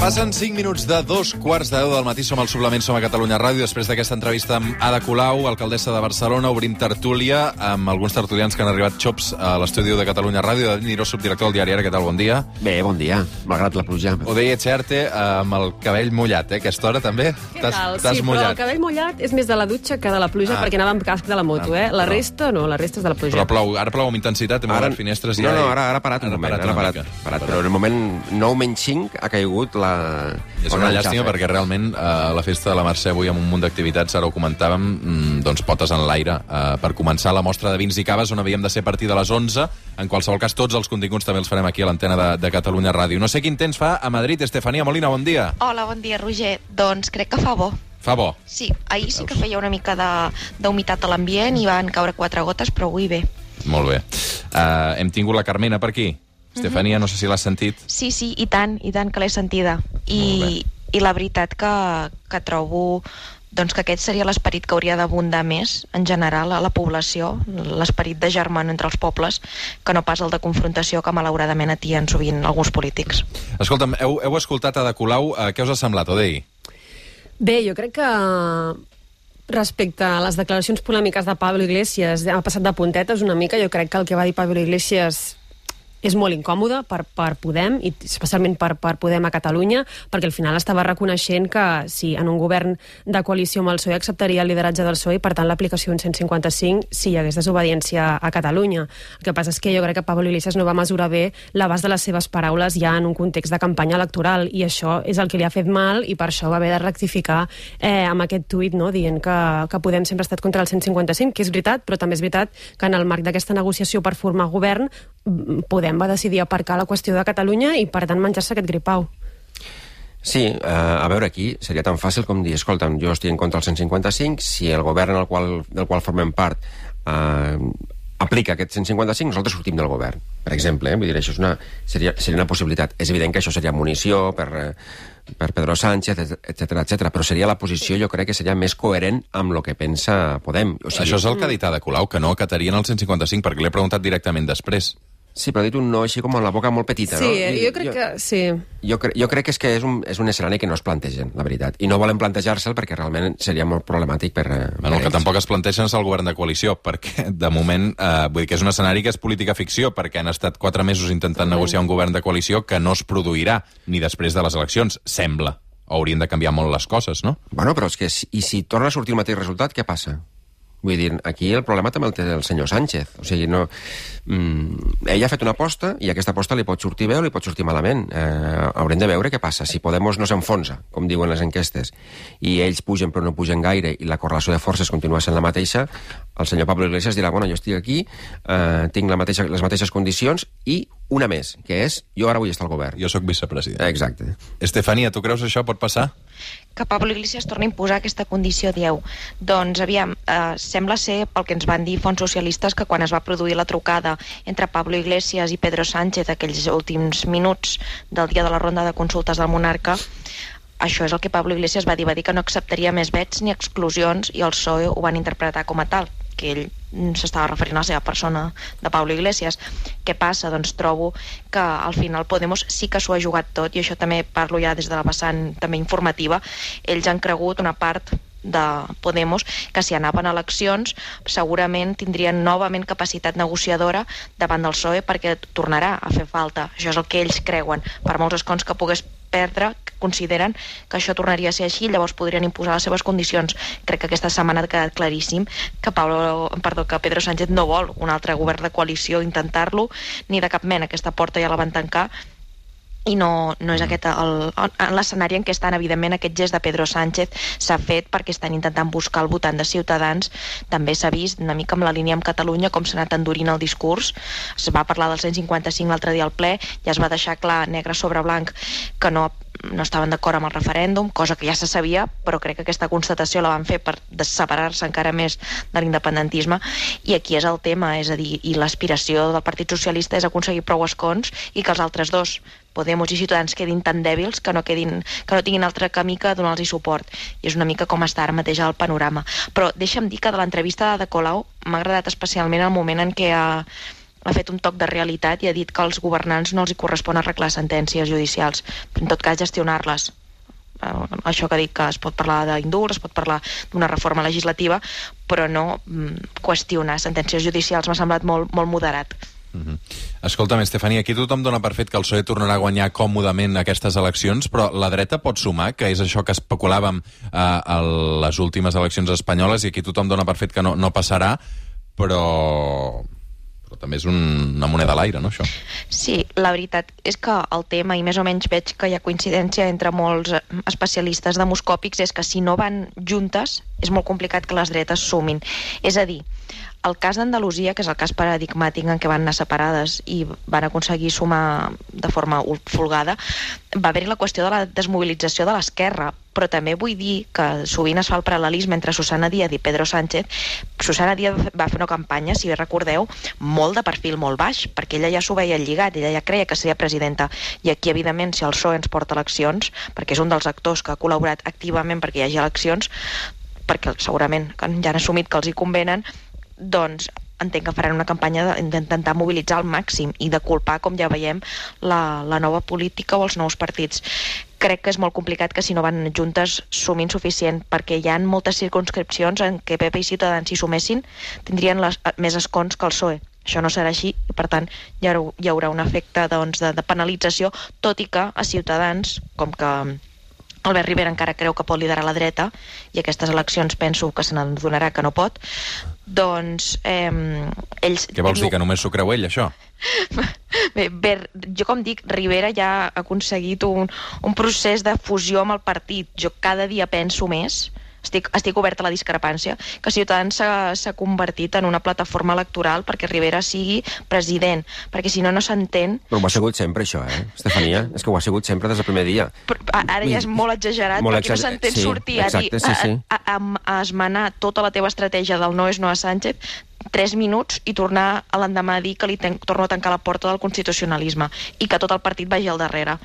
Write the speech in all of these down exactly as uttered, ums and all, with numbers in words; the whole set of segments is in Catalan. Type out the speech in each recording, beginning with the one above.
Passen cinc minuts de dos quarts de deu del matí. Som al Suplement, som a Catalunya Ràdio. Després d'aquesta entrevista amb Ada Colau, alcaldessa de Barcelona, obrim tertúlia amb alguns tertulians que han arribat xops a l'estudi de Catalunya Ràdio. David Niró, subdirector del diari Ara, què tal? Bon dia. Bé, bon dia, malgrat la pluja. Odei Etxearte, amb el cabell mullat, eh? Aquesta hora també? Què tal? T'has Sí, mullat. però el cabell mullat és més de la dutxa que de la pluja, Ah. perquè anava amb casc de la moto, eh? La però- resta no, la resta és de la pluja. Però plou, ara plou amb intensitat, hem obert finestres i no, ja... no, ara, ara ha parat un Ara moment, parat ara ha una parat, mica. parat, però en el moment nou menys cinc ha caigut la... És una llàstima perquè realment eh, la festa de la Mercè avui amb un munt d'activitats, ara ho comentàvem, mm, doncs potes en l'aire eh, per començar la mostra de vins i caves on havíem de ser a partir de les onze. En qualsevol cas, tots els continguts també els farem aquí a l'antena de, de Catalunya Ràdio. No sé quin temps fa a Madrid. Estefania Molina, bon dia. Hola, bon dia, Roger. Doncs crec que fa bo. Fa bo. Sí, ahir sí que feia una mica de- d'humitat a l'ambient i van caure quatre gotes, però avui bé. Molt bé. Uh, hem tingut la Carmena per aquí. Estefania, no sé si l'has sentit. Sí, sí, i tant, i tant que l'he sentida. I, i la veritat que, que trobo doncs, que aquest seria l'esperit que hauria d'abundar més, en general, a la població, l'esperit de germano entre els pobles, que no pas el de confrontació que malauradament atien sovint alguns polítics. Escolta'm, heu, heu escoltat Ada Colau. Uh, què us ha semblat, Odei? Bé, jo crec que respecte a les declaracions polèmiques de Pablo Iglesias, ha passat de puntetes una mica. Jo crec que el que va dir Pablo Iglesias és molt incòmode per, per Podem, i especialment per, per Podem a Catalunya, perquè al final estava reconeixent que sí, en un govern de coalició amb el P S O E acceptaria el lideratge del P S O E i, per tant, l'aplicació d'un cent cinquanta-cinc si hi hagués desobediència a Catalunya. El que passa és que jo crec que Pablo Iglesias no va mesurar bé l'abast de les seves paraules ja en un context de campanya electoral, i això és el que li ha fet mal, i per això va haver de rectificar eh, amb aquest tuit, no?, dient que, que Podem sempre ha estat contra el cent cinquanta-cinc, que és veritat, però també és veritat que en el marc d'aquesta negociació per formar govern Podem va decidir aparcar la qüestió de Catalunya i, per tant, menjar-se aquest gripau. Sí, eh, a veure, aquí seria tan fàcil com dir, escolta'm, jo estic en contra del cent cinquanta-cinc, si el govern en el qual, del qual formem part eh, aplica aquest cent cinquanta-cinc, nosaltres sortim del govern, per exemple, eh? Vull dir, això és una, seria, seria una possibilitat. És evident que això seria munició per, eh, per Pedro Sánchez, etcètera, etcètera, però seria la posició, jo crec que seria més coherent amb el que pensa Podem. O sigui, Això és el que ha dit Ada Colau, que no acatarien el cent cinquanta-cinc, perquè l'he preguntat directament després. sí, però ha dit un no així com amb la boca molt petita, Sí, no? eh, jo crec que... Sí. Jo, cre jo crec que és que és un, és un escenari que no es plantegen, la veritat. I no volen plantejar-se'l perquè realment seria molt problemàtic per... eh, Bueno, el per que ells. tampoc es plantegen és el govern de coalició, perquè de moment, eh, vull dir que és un escenari que és política ficció, perquè han estat quatre mesos intentant negociar un govern de coalició que no es produirà ni després de les eleccions, sembla. Haurien de canviar molt les coses, no? Bueno, però és que si, i si torna a sortir el mateix resultat, què passa? Vull dir, aquí el problema també el té el senyor Sánchez. O sigui, no... Mm, ell ha fet una aposta i aquesta aposta li pot sortir bé o li pot sortir malament. Eh, haurem de veure què passa. Si Podemos no s'enfonsa, com diuen les enquestes, i ells pugen però no pugen gaire i la correlació de forces continua sent la mateixa, el senyor Pablo Iglesias dirà, bueno, jo estic aquí, eh, tinc la mateixa, les mateixes condicions i una més, que és, jo ara vull estar al govern. Jo sóc vicepresident. Exacte. Estefania, tu creus això pot passar? Que Pablo Iglesias torni a imposar aquesta condició, dieu. Doncs, aviam, eh, sembla ser, pel que ens van dir fons socialistes, que quan es va produir la trucada entre Pablo Iglesias i Pedro Sánchez aquells últims minuts del dia de la ronda de consultes del monarca, això és el que Pablo Iglesias va dir, va dir que no acceptaria més vets ni exclusions, i el P S O E ho van interpretar com a tal, que ell s'estava referint a la seva persona de Pablo Iglesias. Què passa? Doncs trobo que al final Podemos sí que s'ho ha jugat tot, i això també parlo ja des de la vessant també informativa. Ells han cregut, una part de Podemos, que si anaven a eleccions segurament tindrien novament capacitat negociadora davant del P S O E, perquè tornarà a fer falta. Això és el que ells creuen. Per molts escons que pogués perdre, consideren que això tornaria a ser així, llavors podrien imposar les seves condicions. Crec que aquesta setmana ha quedat claríssim que, Pablo, perdó, que Pedro Sánchez no vol un altre govern de coalició, intentar-lo, ni de cap mena. Aquesta porta ja la van tancar, i no, no és aquest l'escenari en què estan. Evidentment, aquest gest de Pedro Sánchez s'ha fet perquè estan intentant buscar el votant de Ciutadans. També s'ha vist una mica amb la línia amb Catalunya com s'ha anat endurint el discurs. Es va parlar del cent cinquanta-cinc l'altre dia al ple, ja es va deixar clar negre sobre blanc que no no estaven d'acord amb el referèndum, cosa que ja se sabia, però crec que aquesta constatació la van fer per separar-se encara més de l'independentisme, i aquí és el tema, és a dir, i l'aspiració del Partit Socialista és aconseguir prou escons i que els altres dos, Podemos i Ciutadans, quedin tan dèbils que no, quedin, que no tinguin altre camí que donar-los suport, i és una mica com està ara mateix el panorama. Però deixa'm dir que de l'entrevista de Colau m'ha agradat especialment el moment en què ha ha fet un toc de realitat i ha dit que als governants no els hi correspon arreglar sentències judicials, però en tot cas gestionar-les. Uh, això que dic que es pot parlar d'indults, es pot parlar d'una reforma legislativa, però no mm, qüestionar sentències judicials m'ha semblat molt, molt moderat. Uh-huh. Escolta'm, Estefania, aquí tothom dona per fet que el P S O E tornarà a guanyar còmodament aquestes eleccions, però la dreta pot sumar, que és això que especulàvem eh, a les últimes eleccions espanyoles, i aquí tothom dona per fet que no, no passarà, però... però també és un, una moneda a l'aire, no, això? Sí, la veritat és que el tema, i més o menys veig que hi ha coincidència entre molts especialistes demoscòpics, és que si no van juntes és molt complicat que les dretes sumin. És a dir, el cas d'Andalusia, que és el cas paradigmàtic en què van anar separades i van aconseguir sumar de forma folgada, va haver-hi la qüestió de la desmobilització de l'esquerra, però també vull dir que sovint es fa el paral·lelisme entre Susana Díaz i Pedro Sánchez. Susana Díaz va fer una campanya, si bé recordeu, molt de perfil molt baix, perquè ella ja s'ho veia lligat, ella ja creia que seria presidenta, i aquí, evidentment, si el P S O E ens porta eleccions, perquè és un dels actors que ha col·laborat activament perquè hi hagi eleccions, perquè segurament ja han assumit que els hi convenen, doncs entenc que faran una campanya d'intentar mobilitzar al màxim i de culpar, com ja veiem, la, la nova política o els nous partits. Crec que és molt complicat que si no van juntes sumin suficient, perquè hi ha moltes circumscripcions en què P P i Ciutadans s'hi sumessin tindrien les, més escons que el P S O E. Això no serà així i, per tant, hi haurà, hi haurà un efecte doncs, de, de penalització, tot i que a Ciutadans, com que Albert Rivera encara creu que pot liderar la dreta, i aquestes eleccions penso que se n'adonarà que no pot, doncs eh, ells... Què vols dir, que només s'ho creu ell, això? Bé, bé, jo com dic, Rivera ja ha aconseguit un, un procés de fusió amb el partit. Jo cada dia penso més, estic, estic oberta a la discrepància, que Ciutadans s'ha convertit en una plataforma electoral perquè Rivera sigui president, perquè si no, no s'entén... Però ho ha sigut sempre, això, eh, Estefania? És que ho ha sigut sempre des del primer dia. Però ara ja és molt exagerat, molt perquè exager... no s'entén sí, sortir exacte, a dir, sí, sí. A, a, a, a esmenar tota la teva estratègia del no és no a Sánchez tres minuts i tornar a l'endemà a dir que li ten, torno a tancar la porta del constitucionalisme i que tot el partit vagi al darrere.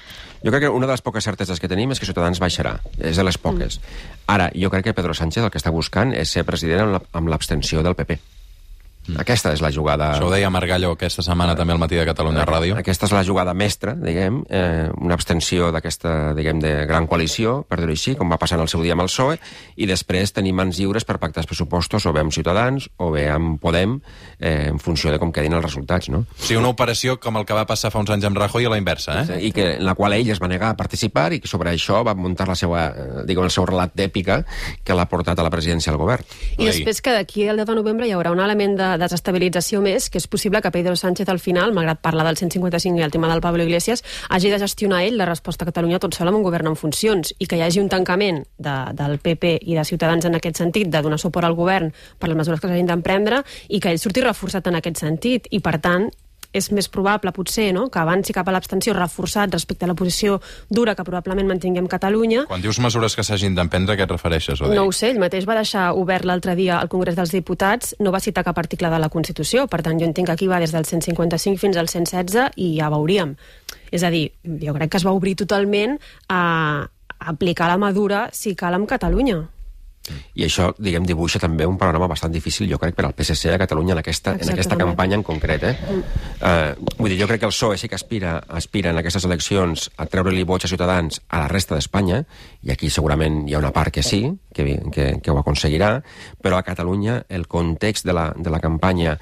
Jo crec que una de les poques certeses que tenim és que Ciutadans baixarà. És de les poques. Mm. Ara, jo crec que Pedro Sánchez el que està buscant és ser president amb l'abstenció del P P. Mm. Aquesta és la jugada... Això ho deia Margallo aquesta setmana també al Matí de Catalunya Ràdio. Aquesta és la jugada mestra, diguem, eh, una abstenció d'aquesta, diguem, de gran coalició, per dir-ho així, com va passar en el seu dia amb el P S O E, i després tenir mans lliures per pactar els pressupostos o bé amb Ciutadans o bé amb Podem, eh, en funció de com quedin els resultats, no? Sí, una operació com el que va passar fa uns anys amb Rajoy a la inversa, eh? I que, en la qual ell es va negar a participar i que sobre això va muntar la seva, eh, diguem, el seu relat d'èpica que l'ha portat a la presidència del govern. I després que d'aquí al deu de novembre hi haurà un element de desestabilització més, que és possible que Pedro Sánchez al final, malgrat parlar del cent cinquanta-cinc i el tema del Pablo Iglesias, hagi de gestionar ell la resposta a Catalunya tot sol amb un govern en funcions, i que hi hagi un tancament de, del P P i de Ciutadans en aquest sentit, de donar suport al govern per les mesures que s'hagin d'emprendre, i que ell surti reforçat en aquest sentit, i per tant és més probable, potser, no?, que avanci cap a l'abstenció reforçat respecte a la posició dura que probablement mantinguem Catalunya. Quan dius mesures que s'hagin d'emprendre, a què et refereixes? Odei? No ho sé, ell mateix va deixar obert l'altre dia al Congrés dels Diputats, no va citar cap article de la Constitució, per tant jo entenc que aquí va des del cent cinquanta-cinc fins al cent setze i ja veuríem. És a dir, jo crec que es va obrir totalment a aplicar la mesura si cal amb Catalunya. I això, diguem, dibuixa també un panorama bastant difícil, jo crec, per al P S C de Catalunya en aquesta, en aquesta campanya en concret. Eh? Mm. Uh, vull dir, jo crec que el P S O E sí que aspira, aspira en aquestes eleccions a treure-li vots a Ciutadans a la resta d'Espanya, i aquí segurament hi ha una part que sí, que, que, que ho aconseguirà, però a Catalunya el context de la, de la campanya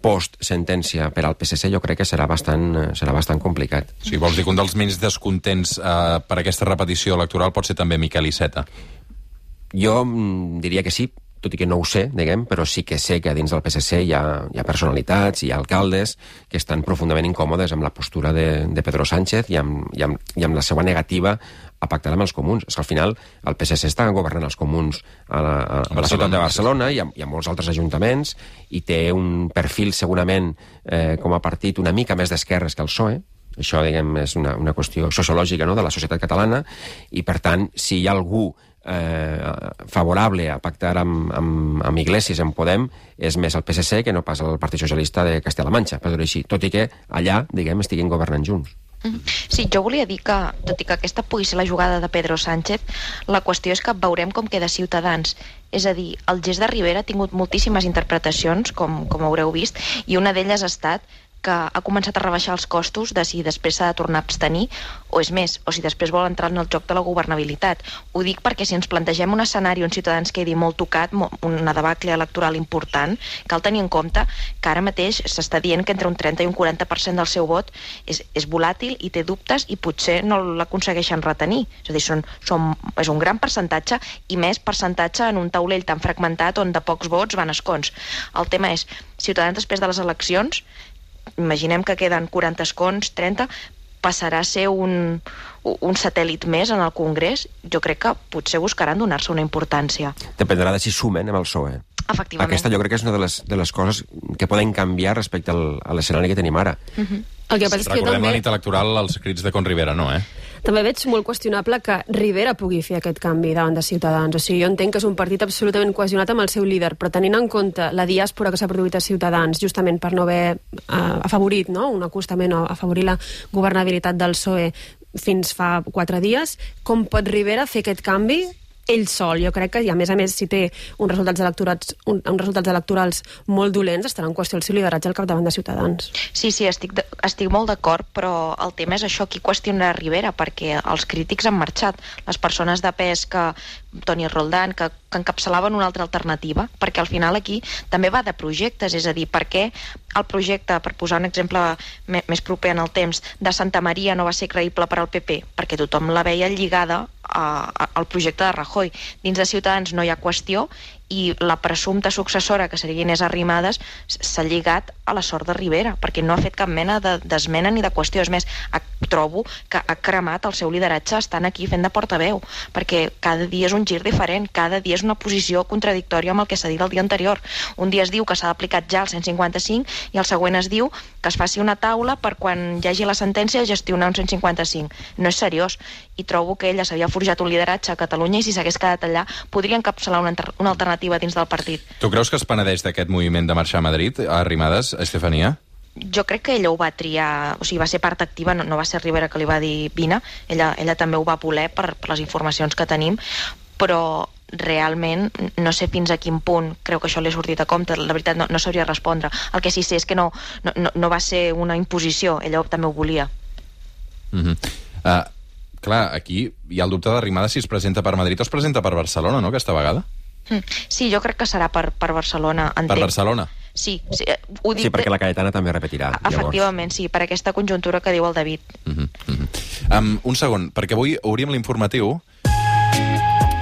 post-sentència per al P S C jo crec que serà bastant, serà bastant complicat. Sí, vols dir que un dels menys descontents uh, per aquesta repetició electoral pot ser també Miquel Iceta? Jo mm, diria que sí, tot i que no ho sé, diguem, però sí que sé que dins del P S C hi ha, hi ha personalitats, hi ha alcaldes que estan profundament incòmodes amb la postura de, de Pedro Sánchez i amb, i, amb, i amb la seva negativa a pactar amb els comuns. És que al final el P S C està governant els comuns a la, a, a la ciutat de Barcelona i a, i a molts altres ajuntaments, i té un perfil segurament eh, com a partit una mica més d'esquerres que el P S O E. Això, diguem, és una, una qüestió sociològica, no?, de la societat catalana, i per tant, si hi ha algú Eh, favorable a pactar amb, amb, amb Iglesias, amb Podem, és més el P S C que no pas el Partit Socialista de Castella-La Manxa, per dir-ho així, tot i que allà, diguem, estiguin governant junts. Sí, jo volia dir que, tot i que aquesta pugui ser la jugada de Pedro Sánchez, la qüestió és que veurem com queda Ciutadans. És a dir, el gest de Rivera ha tingut moltíssimes interpretacions, com, com haureu vist, i una d'elles ha estat que ha començat a rebaixar els costos de si després s'ha de tornar a abstenir o és més, o si després vol entrar en el joc de la governabilitat. Ho dic perquè si ens plantegem un escenari on Ciutadans quedi molt tocat, una debacle electoral important, cal tenir en compte que ara mateix s'està dient que entre un trenta i un quaranta per cent del seu vot és, és volàtil i té dubtes i potser no l'aconsegueixen retenir. És a dir, són, són, és un gran percentatge i més percentatge en un taulell tan fragmentat on de pocs vots van escons. El tema és, Ciutadans després de les eleccions, imaginem que queden quaranta escons, trenta, passarà a ser un, un satèl·lit més en el Congrés. Jo crec que potser buscaran donar-se una importància. Dependrà de si sumen amb el P S O E. Efectivament. Aquesta jo crec que és una de les, de les coses que poden canviar respecte al, a l'escenari que tenim ara. Uh-huh. El que passa és que Recordem també... la nit electoral, els crits de Con Rivera, no, eh? També veig molt qüestionable que Rivera pugui fer aquest canvi davant de Ciutadans. O sigui, jo entenc que és un partit absolutament cohesionat amb el seu líder, però tenint en compte la diàspora que s'ha produït a Ciutadans, justament per no haver uh, afavorit, no?, un acostament o afavorir la governabilitat del P S O E fins fa quatre dies, com pot Rivera fer aquest canvi ell sol? Jo crec que, i a més a més, si té uns resultats electorals, un, uns resultats electorals molt dolents, estarà en qüestió el seu lideratge al capdavant de Ciutadans. Sí, sí, estic, de, estic molt d'acord, però el tema és això, qui qüestionarà Rivera, perquè els crítics han marxat. Les persones de pes que Toni Roldán, que, que encapçalaven una altra alternativa, perquè al final aquí també va de projectes, és a dir, per què el projecte, per posar un exemple més proper en el temps, de Santa Maria no va ser creïble per al P P, perquè tothom la veia lligada a, a, al projecte de Rajoy. Dins de Ciutadans no hi ha qüestió i la presumpta successora, que seria Inés Arrimadas, s'ha lligat a la sort de Rivera, perquè no ha fet cap mena d'esmena ni de qüestió. És més, trobo que ha cremat el seu lideratge estant aquí fent de portaveu, perquè cada dia és un gir diferent, cada dia és una posició contradictòria amb el que s'ha dit el dia anterior. Un dia es diu que s'ha aplicat ja el cent cinquanta-cinc i el següent es diu que es faci una taula per quan hi hagi la sentència gestionar un cent cinquanta-cinc. No és seriós, i trobo que ella s'havia forjat un lideratge a Catalunya i si s'hagués quedat allà podria encapçalar una, una alternativa dins del partit. Tu creus que es penedeix d'aquest moviment de marxar a Madrid, a Arrimadas, Estefania? Jo crec que ella ho va triar, o sigui, va ser part activa, no, no va ser Rivera que li va dir vine, ella, ella també ho va voler per, per les informacions que tenim, però realment no sé fins a quin punt creu que això li ha sortit a compte, la veritat no, no sabria respondre. El que sí sé és que no, no, no va ser una imposició, ella també ho volia. Mhm. Uh, clar, aquí hi ha el dubte d'Arrimadas si es presenta per Madrid o es presenta per Barcelona, no?, aquesta vegada? Sí, jo crec que serà per, per Barcelona. Entenc. Per Barcelona? Sí, sí, ho dic sí, perquè la Cayetana també repetirà. Efectivament, llavors. Sí, per aquesta conjuntura que diu el David. Uh -huh, uh -huh. Um, un segon, perquè avui obrim l'informatiu.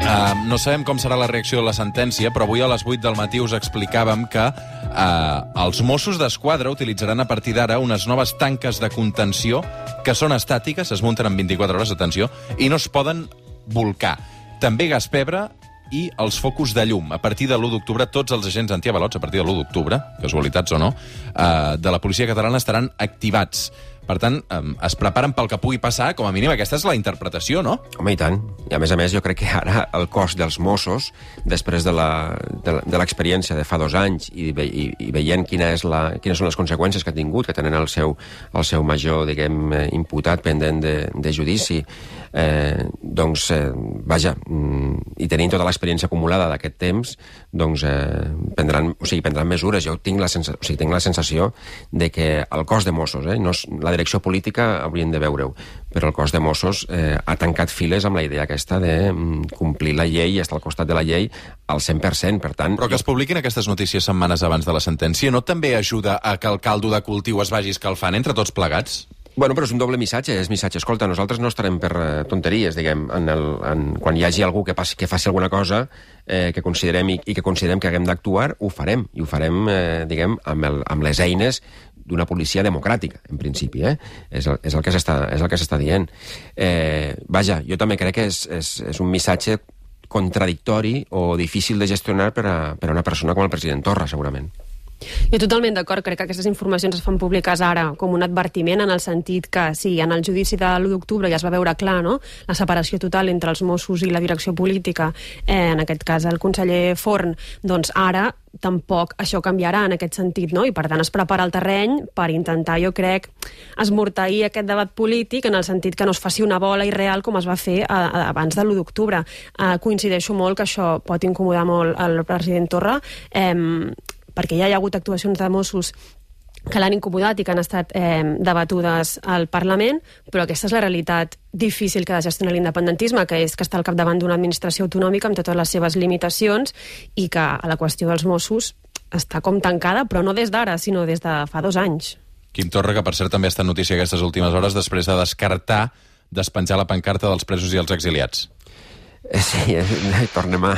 Uh, no sabem com serà la reacció de la sentència, però avui a les vuit del matí us explicàvem que uh, els Mossos d'Esquadra utilitzaran a partir d'ara unes noves tanques de contenció que són estàtiques, es munten en vint-i-quatre hores, atenció, i no es poden volcar. També gas pebre i els focus de llum. A partir de l'u d'octubre, tots els agents antiavalots, a partir de l'u d'octubre, casualitats o no, eh, de la policia catalana estaran activats. Per tant, eh, es preparen pel que pugui passar, com a mínim aquesta és la interpretació, no? Home, i tant. I a més a més, jo crec que ara el cos dels Mossos, després de la, de, de l'experiència de fa dos anys i, ve, i, i veient quina és la, quines són les conseqüències que ha tingut, que tenen el seu, el seu major, diguem, imputat pendent de, de judici, eh, doncs, eh, vaja, i tenint tota l'experiència acumulada d'aquest temps, doncs eh, prendran, o sigui, prendran mesures. Jo tinc la, sensa, o sigui, tinc la sensació de que el cos de Mossos, eh, no és, la direcció política haurien de veure-ho, però el cos de Mossos eh, ha tancat files amb la idea aquesta de mm, complir la llei i estar al costat de la llei al cent per cent, per tant... Però que es publiquin aquestes notícies setmanes abans de la sentència no també ajuda a que el caldo de cultiu es vagi escalfant entre tots plegats? Bueno, però és un doble missatge, és missatge. Escolta, nosaltres no estarem per uh, tonteries, diguem, en el, en, quan hi hagi algú que, passi, que faci alguna cosa eh, que considerem i, i que considerem que haguem d'actuar, ho farem, i ho farem, eh, diguem, amb, el, amb les eines d'una policia democràtica, en principi, eh? És el, és el que s'està és el que s'està dient. Eh, vaja, jo també crec que és, és, és un missatge contradictori o difícil de gestionar per a, per a una persona com el president Torra, segurament. Jo totalment d'acord, crec que aquestes informacions es fan públiques ara com un advertiment en el sentit que sí, en el judici de l'u d'octubre ja es va veure clar, no?, la separació total entre els Mossos i la direcció política, eh, en aquest cas el conseller Forn, doncs ara tampoc això canviarà en aquest sentit, no? I per tant es prepara el terreny per intentar, jo crec, esmorteir aquest debat polític en el sentit que no es faci una bola irreal com es va fer a, a, abans de l'u d'octubre. Eh, coincideixo molt que això pot incomodar molt el president Torra, eh, perquè ja hi ha hagut actuacions de Mossos que l'han incomodat i que han estat eh, debatudes al Parlament, però aquesta és la realitat difícil que ha de gestionar l'independentisme, que és que està al capdavant d'una administració autonòmica amb totes les seves limitacions i que a la qüestió dels Mossos està com tancada, però no des d'ara, sinó des de fa dos anys. Quim Torra, que per cert també està en notícia aquestes últimes hores, després de descartar despenjar la pancarta dels presos i els exiliats. Sí, eh, tornem a...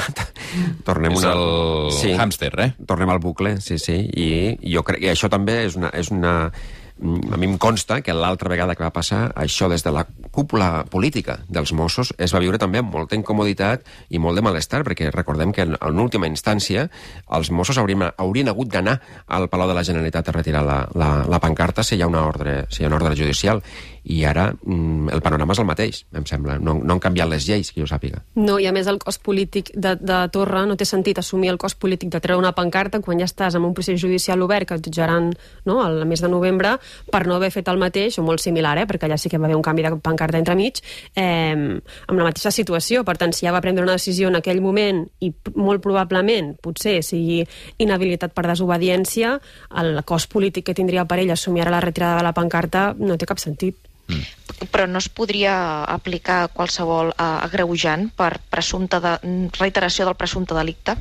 Tornem és una... el sí, hàmster, eh? Tornem al bucle, sí, sí. I jo crec que això també és una... És una... A mi em consta que l'altra vegada que va passar això des de la cúpula política dels Mossos es va viure també amb molta incomoditat i molt de malestar, perquè recordem que en, en última instància els Mossos haurien, haurien hagut d'anar al Palau de la Generalitat a retirar la, la, la pancarta si hi ha una ordre, si hi ha una ordre judicial. I ara mm, el panorama és el mateix, em sembla. No, no han canviat les lleis, que jo sàpiga. No, i a més el cost polític de, de Torra no té sentit assumir el cost polític de treure una pancarta quan ja estàs en un procés judicial obert que et jutjaran, no, al mes de novembre per no haver fet el mateix, o molt similar, eh, perquè allà sí que va haver un canvi de pancarta entremig, eh, amb la mateixa situació. Per tant, si ja va prendre una decisió en aquell moment i molt probablement, potser, sigui inhabilitat per desobediència, el cost polític que tindria per ell assumir ara la retirada de la pancarta no té cap sentit. Mm. Però no es podria aplicar qualsevol uh, agreujant per presumpte de, reiteració del presumpte delicte?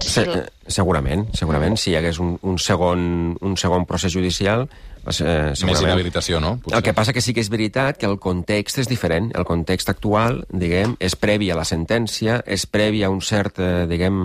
Se, segurament, segurament. Si hi hagués un, un, segon, un segon procés judicial... Eh, Més inhabilitació, no? Potser. El que passa que sí que és veritat que el context és diferent. El context actual, diguem, és previ a la sentència, és previ a un cert, eh, diguem,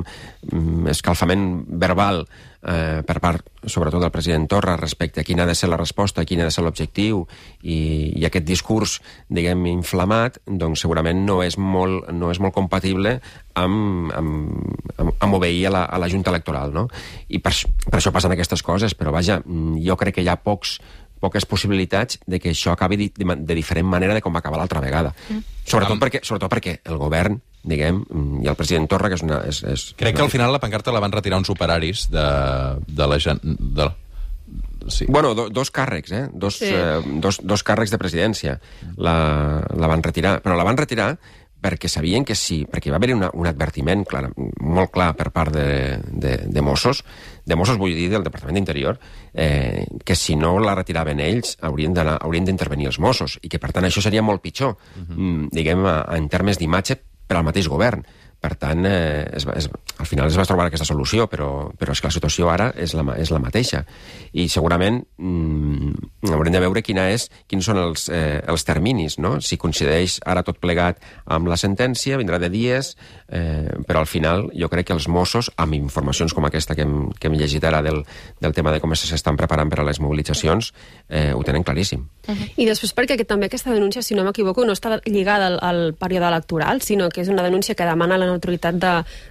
escalfament verbal eh, per part, sobretot, del president Torra respecte a quina ha de ser la resposta, quin ha de ser l'objectiu, i, i aquest discurs, diguem, inflamat, doncs segurament no és molt, no és molt compatible amb, amb, amb, amb obeir a la, a la Junta Electoral, no? I per, per això passen aquestes coses, però vaja, jo crec que hi ha pocs poques possibilitats de que això acabi de, de diferent manera de com va acabar l'altra vegada. Mm. Sobretot, um, perquè, sobretot perquè el govern, diguem, i el president Torra, que és una... És, és crec una... que al final la pancarta la van retirar uns operaris de, de la... De... Sí. Bueno, do, dos càrrecs, eh? Dos, sí. eh, dos, dos càrrecs de presidència la, la van retirar. Però la van retirar perquè sabien que sí, perquè va haver-hi un advertiment clar, molt clar per part de, de, de Mossos, de Mossos vull dir del Departament d'Interior, eh, que si no la retiraven ells haurien d'intervenir els Mossos, i que per tant això seria molt pitjor, uh-huh. mm, diguem, en termes d'imatge per al mateix govern. Per tant, eh, es, es, al final es va trobar aquesta solució, però, però és que la situació ara és la, és la mateixa. I segurament mm, haurem de veure quina és, quins són els, eh, els terminis, no? Si coincideix ara tot plegat amb la sentència, vindrà de dies, eh, però al final jo crec que els Mossos, amb informacions com aquesta que hem, que hem llegit ara del, del tema de com s'estan preparant per a les mobilitzacions, eh, ho tenen claríssim. Uh-huh. I després perquè també aquesta denúncia, si no m'equivoco, no està lligada al, al període electoral, sinó que és una denúncia que demana la neutralitat de,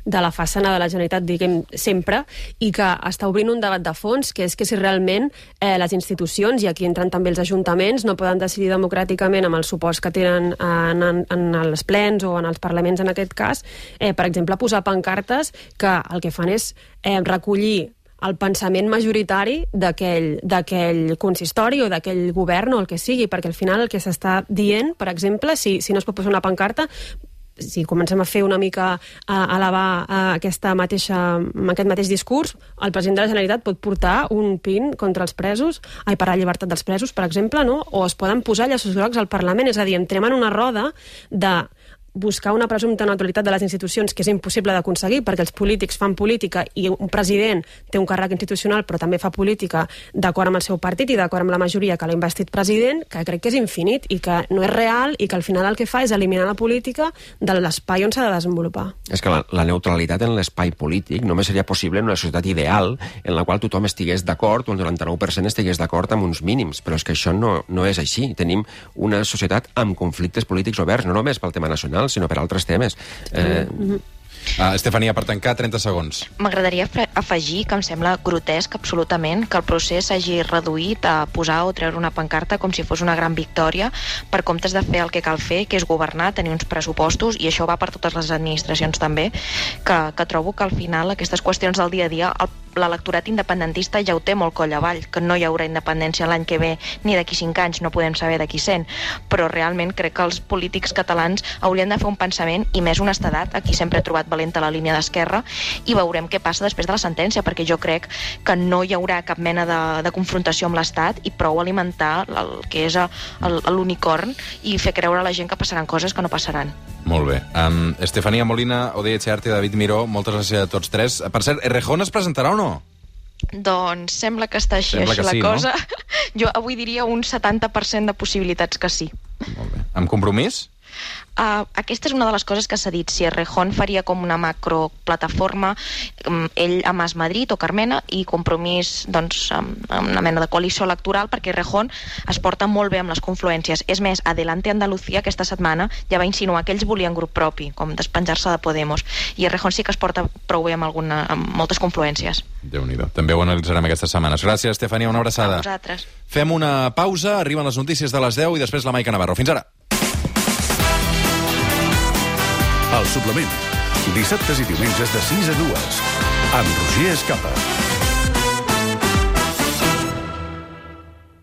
de la façana de la Generalitat, diguem, sempre, i que està obrint un debat de fons, que és que si realment eh, les institucions, i aquí entren també els ajuntaments, no poden decidir democràticament amb els suports que tenen en, en, en els plens o en els parlaments en aquest cas, eh, per exemple, posar pancartes que el que fan és eh, recollir el pensament majoritari d'aquell consistori o d'aquell govern o el que sigui, perquè al final el que s'està dient, per exemple, si, si no es pot posar una pancarta, si comencem a fer una mica a elevar a aquesta mateixa, aquest mateix discurs, el president de la Generalitat pot portar un pin contra els presos, ai, per a la llibertat dels presos, per exemple, no? O es poden posar llaços grocs al Parlament, és a dir, entrem en una roda de buscar una presumpta neutralitat de les institucions, que és impossible d'aconseguir perquè els polítics fan política i un president té un càrrec institucional però també fa política d'acord amb el seu partit i d'acord amb la majoria que l'ha investit president, que crec que és infinit i que no és real i que al final el que fa és eliminar la política de l'espai on s'ha de desenvolupar. És que la, la neutralitat en l'espai polític només seria possible en una societat ideal en la qual tothom estigués d'acord o el noranta-nou per cent estigués d'acord amb uns mínims, però és que això no, no és així. Tenim una societat amb conflictes polítics oberts, no només pel tema nacional, sinó per altres temes. Eh... Mm-hmm. Uh, Estefania, per tancar, trenta segons. M'agradaria afegir que em sembla grotesc absolutament que el procés s'hagi reduït a posar o treure una pancarta com si fos una gran victòria per comptes de fer el que cal fer, que és governar, tenir uns pressupostos, i això va per totes les administracions també, que, que trobo que al final aquestes qüestions del dia a dia, el, l'electorat independentista ja ho té molt coll avall, que no hi haurà independència l'any que ve ni d'aquí cinc anys, no podem saber d'aquí cent, però realment crec que els polítics catalans haurien de fer un pensament, i més honestedat, aquí sempre he trobat valenta la línia d'Esquerra, i veurem què passa després de la sentència, perquè jo crec que no hi haurà cap mena de, de confrontació amb l'Estat i prou alimentar el que és l'unicorn i fer creure a la gent que passaran coses que no passaran. Molt bé. Um, Estefania Molina, Odey Etxearte, David Miró, moltes gràcies a tots tres. Per cert, Errejón es presentarà o no? Doncs sembla que està així, Sembla així que la sí, cosa. no? Jo avui diria un setanta per cent de possibilitats que sí. Molt bé. Amb compromís? Uh, aquesta és una de les coses que s'ha dit, si Errejón faria com una macroplataforma, um, ell a Mas Madrid o Carmena, i Compromís doncs, amb, amb una mena de coalició electoral, perquè Errejón es porta molt bé amb les confluències. És més, Adelante Andalucía aquesta setmana ja va insinuar que ells volien grup propi, com despenjar-se de Podemos, i Errejón sí que es porta prou bé amb, alguna, amb moltes confluències. Déu-n'hi-do. També ho analitzarem aquestes setmanes. Gràcies, Estefania, una abraçada. A vosaltres. Fem una pausa, arriben les notícies de les deu i després la Maica Navarro. Fins ara. El suplement. Dissabtes i diumenges de sis a dues. Amb Roger Escapa.